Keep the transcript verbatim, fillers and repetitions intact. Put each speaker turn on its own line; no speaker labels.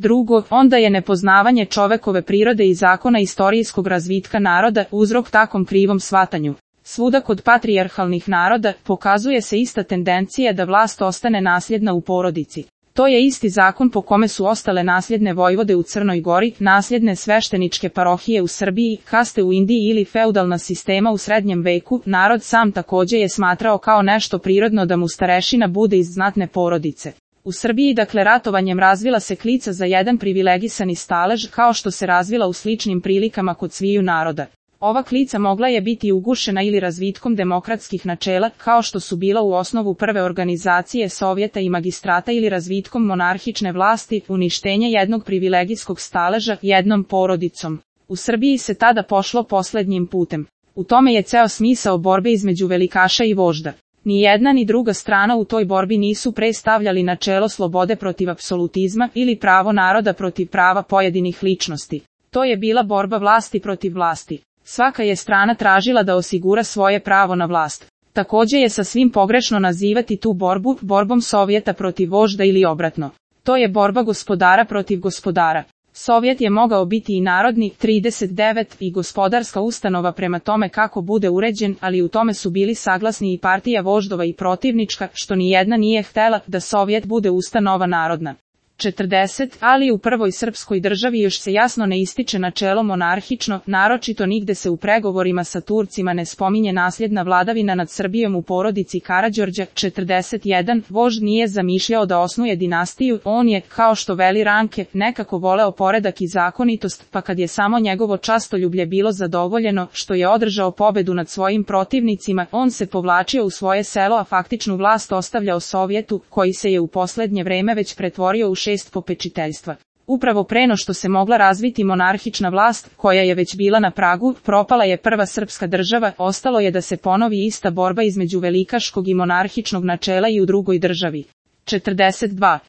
Drugo, onda je nepoznavanje čovekove prirode i zakona istorijskog razvitka naroda uzrok takom krivom shvatanju. Svuda kod patrijarhalnih naroda pokazuje se ista tendencija da vlast ostane nasljedna u porodici. To je isti zakon po kome su ostale nasljedne vojvode u Crnoj Gori, nasljedne svešteničke parohije u Srbiji, kaste u Indiji ili feudalna sistema u srednjem veku. Narod sam takođe je smatrao kao nešto prirodno da mu starešina bude iz znatne porodice. U Srbiji dakle ratovanjem razvila se klica za jedan privilegisani stalež kao što se razvila u sličnim prilikama kod sviju naroda. Ova klica mogla je biti ugušena ili razvitkom demokratskih načela, kao što su bila u osnovu prve organizacije Sovjeta i magistrata ili razvitkom monarhične vlasti, uništenje jednog privilegijskog staleža jednom porodicom. U Srbiji se tada pošlo poslednjim putem. U tome je ceo smisao borbe između velikaša i vožda. Ni jedna ni druga strana u toj borbi nisu predstavljali načelo slobode protiv apsolutizma ili pravo naroda protiv prava pojedinih ličnosti. To je bila borba vlasti protiv vlasti. Svaka je strana tražila da osigura svoje pravo na vlast. Takođe je sasvim pogrešno nazivati tu borbu borbom Sovjeta protiv vožda ili obratno. To je borba gospodara protiv gospodara. Sovjet je mogao biti i narodni, trideset devet, i gospodarska ustanova prema tome kako bude uređen, ali u tome su bili saglasni i partija voždova i protivnička, što ni jedna nije htela da Sovjet bude ustanova narodna. četrdeset Ali u prvoj srpskoj državi još se jasno ne ističe načelo monarhično, naročito nigde se u pregovorima sa Turcima ne spominje nasljedna vladavina nad Srbijom u porodici Karađorđa. četrdeset jedan Vožd nije zamišljao da osnuje dinastiju, on je, kao što veli Ranke, nekako voleo poredak i zakonitost, pa kad je samo njegovo častoljublje bilo zadovoljeno, što je održao pobedu nad svojim protivnicima, on se povlačio u svoje selo, a faktičnu vlast ostavljao Sovjetu, koji se je u poslednje vreme već pretvorio u šest popečiteljstva. Upravo preno što se mogla razviti monarhična vlast, koja je već bila na pragu, propala je prva srpska država, ostalo je da se ponovi ista borba između velikaškog i monarhičnog načela i u drugoj državi. četrdeset dva